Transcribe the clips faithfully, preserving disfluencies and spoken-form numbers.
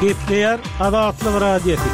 Gepleýär Azatlyk Radiosy.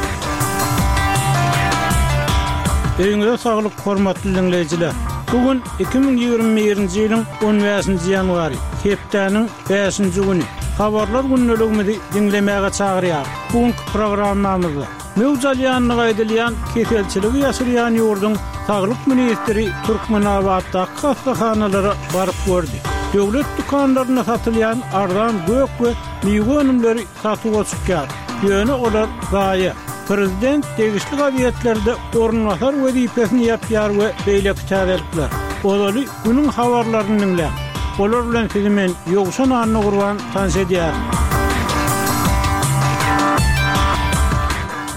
Öýüňize saglyk hormatly dinleýjiler. Bu gün iki müň ýigrimi birinji ýylyň on bäşinji ýanwary, hepdäniň bäşinji güni. Habarlar gündeligimizi diňlemäge çagyrýar. Bu günki programmamyzda möwç alýandygy aýdylýan keselçiligi ýaşyrýan ýurduň saglyk ministri Türkmenabatdaky hassahanalara baryp gördi. Döwlet dükanlarynda satylýan arzan gök we miwe önümleri satuwa çykýar. Ýöne olar zaýa. Prezident degişli gazetlerde orunbasar wezipesini ýapýar we beýleki täzelikler. Ozaly günüň habarlaryny diňläň. Olar bilen sizi men Ýowşan Annagurban tanyş edýärin.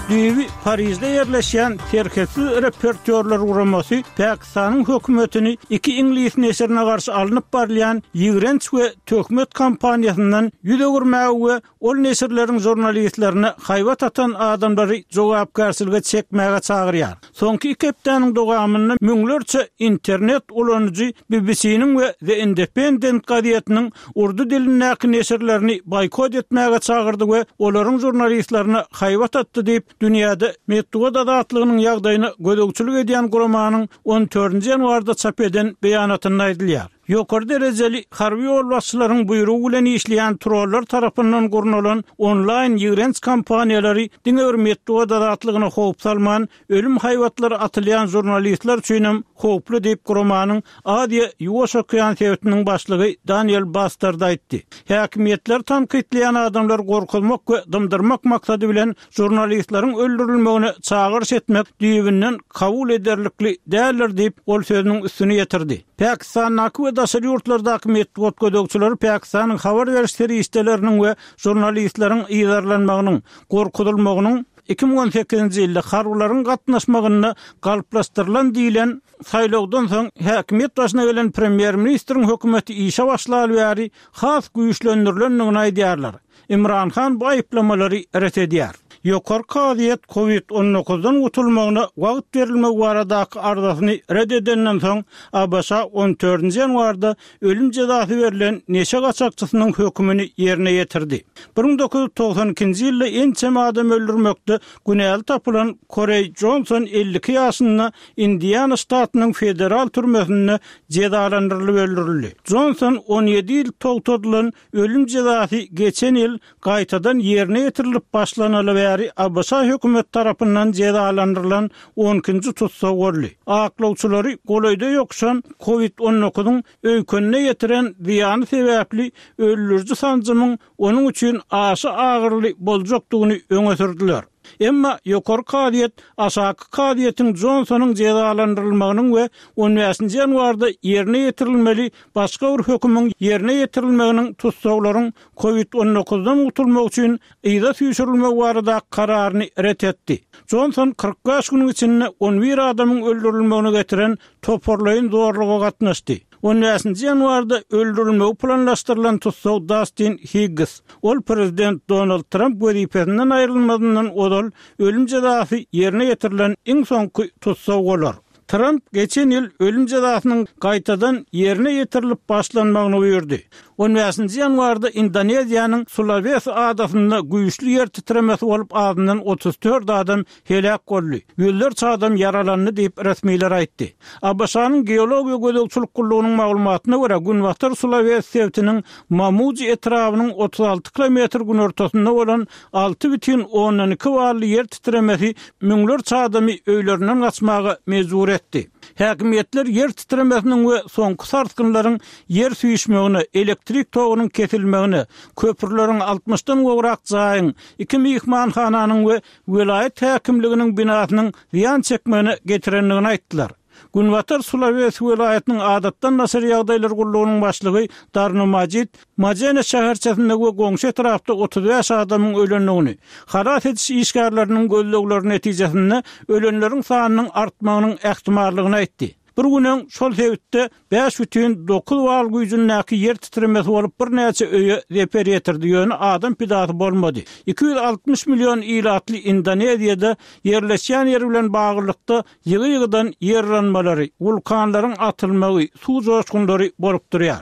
Düýbi Parijde ýerleşýän Serhetsiz reportýorlar guramasy Pakistanyň hökümetini iki iňlis neşirine garşy alnyp barylýan ýigrenç we töhmet kampaniýasyndan ýüz öwürmäge we ol neşirleriň žurnalistlerine haýbat atan adamlary jogapkärçilige çekmäge çagyrýar. Soňky iki hepdäniň dowamynda müňlerçe internet ulanyjy B B C-niň we The Independent gazetiniň urdu dilindäki neşirlerini boýkot etmäge çagyrdy we olaryň žurnalistlerine haýbat atdy diýip, dünýäde metbugat azatlygynyň ýagdaýyna gözegçilik edýän guramanyň on dördünji ýanwarda çap eden beýanatynda aýdylýar. Ýokary derejeli harby ýolbaşçylaryň buýrugy bilen işleýän trollar tarapyndan gurnalan onlaýn ýigrenç kampaniýalary diňe bir metbugat azatlygyna howp salman, ölüm haýbatlary atylýan žurnalistler üçin hem howply diýip guramanyň Aziýa Ýuwaş okean sebitiniň başlygy Daniel Bastard aýtdy. Häkimiýetler tankytlaýan adamlar gorkuzmak we dymdyrmak maksady bilen žurnalistleriň öldürilmegine çagyryş etmek düýbünden kabul ederlikli däldir diýip ol sözüniň üstüni ýetirdi. Pakistandaky we daşary ýurtlardaky metbugat gözegçileri Pakistanyň habar beriş serişdeleriniň we žurnalistleriň yzarlanmagynyň, gorkuzylmagynyň iki müň on sekizinji ýylda harbylaryň gatnaşmagynda galplaşdyrylan diýilen saýlawdan soň häkimiýet başyna gelen premýer-ministriň hökümeti işe başlaly bäri has güýçlendirilendigini aýdýarlar. Imran Han bu aýyplamalary ret edýär. Ýokary kazyýet COVID on dokuzdan gutulmagyna wagt berilmegi baradaky arzasyny ret edenden soň A B Ş on dördünji ýanwarda ölüm jezasy berlen neşe gaçakçysynyň hökümini ýerine ýetirdi. Bir müň dokuz ýüz togsan ikinji ýylda ençeme adam öldürmekde günäli tapylan Korey Johnson elli iki ýaşynda Indiana ştatynyň federal türmesinde jezalandyrylyp öldürildi. Johnson on ýedi ýyl togtadylan ölüm jezasy geçen ýyl gaýtadan ýerine ýetirilip başlanaly bäri A B Ş hökümet tarapyndan jezalandyrylan on ikinji tussag boldy. Aklawçylary golaýda ýokuşan COVID on dokuzyň öýkenine ýetiren zyýany sebäpli öldüriji sanjymyň onuň üçin aşa agyrly boljakdygyny öňe sürdüler. Emma ýokary kazyýet aşaky kazyýetiň Johnsonyň jezalandyrylmagynyň we on bäşinji ýanwarda ýerine ýetirilmeli başga bir hökümiň ýerine ýetirilmeginiň tussaglaryň COVID on dokuzdan gutulmak üçin yza süýşürilmegi barada kararyny ret etdi. Johnson kyrk bäş günüň içinde on bir adamyň öldürilmegine getiren toparlaýyn zorluga gatnaşdy. On bäşinji ýanwarda öldürilmegi planlaşdyrylan tussag Dustin Higgs, ol prezident Donald Trump wezipesinden aýrylmazyndan ozal ölüm jezasy ýerine ýetirilen iň soňky tussag bolar. Trump geçen ýyl ölüm jezasynyň gaýtadan ýerine ýetirilip başlanmagyny buýurdy. On bäşinji ýanwarda Indoneziýanyň Sulawesi adasynda güýçli ýer titremesi bolup azyndan otuz dört adam heläk boldy. Ýüzlerçe adam ýaralandy diýip resmiler aýtdy. A B Ş-nyň geologiýa gözegçilik gullugynyň maglumatyna görä Günbatar Sulawesi sebitiniň Mamuji etrabynyň otuz alty kilometr günortasynda bolan alty bütin ondan iki bally ýer titremesi müňlerçe adamy öýlerinden gaçmaga mejbur etdi. Häkimiýetler ýer titremesiniň we soňky sarsgynlaryň ýer süýşmegine, elektrik togunyň kesilmegine, köprüleriň altmyşdan gowrak jaýyň, iki myhmanhananyň we welaýat häkimliginiň binasynyň zyýan çekmegine getirendigini aýtdylar. Günbatar Sulawesi welaýatynyň adatdan daşary ýagdaýlar gullugynyň başlygy Darno Majid Majene şäherçesinde we goňşy etrapda otuz bäş adamyň ölendigini, halas ediş işgärleriniň gözlegleri netijesinde ölenleriň sanynyň artmagynyň ähtimallygyny aýtdy. Bir gün öň şol sebitde bäş bütin dokuz bal güýjündäki ýer titremesi bolup birnäçe öýe zeper ýetirdi, ýöne adam pidasy bolmady. Iki ýüz altmyş million ilatly Indoneziýada ýerleşýän ýer bilen baglylykda ýygy-ýygydan ýerlenmeleri, wulkanlaryň atylmagy, suw joşgunlary bolup durýar.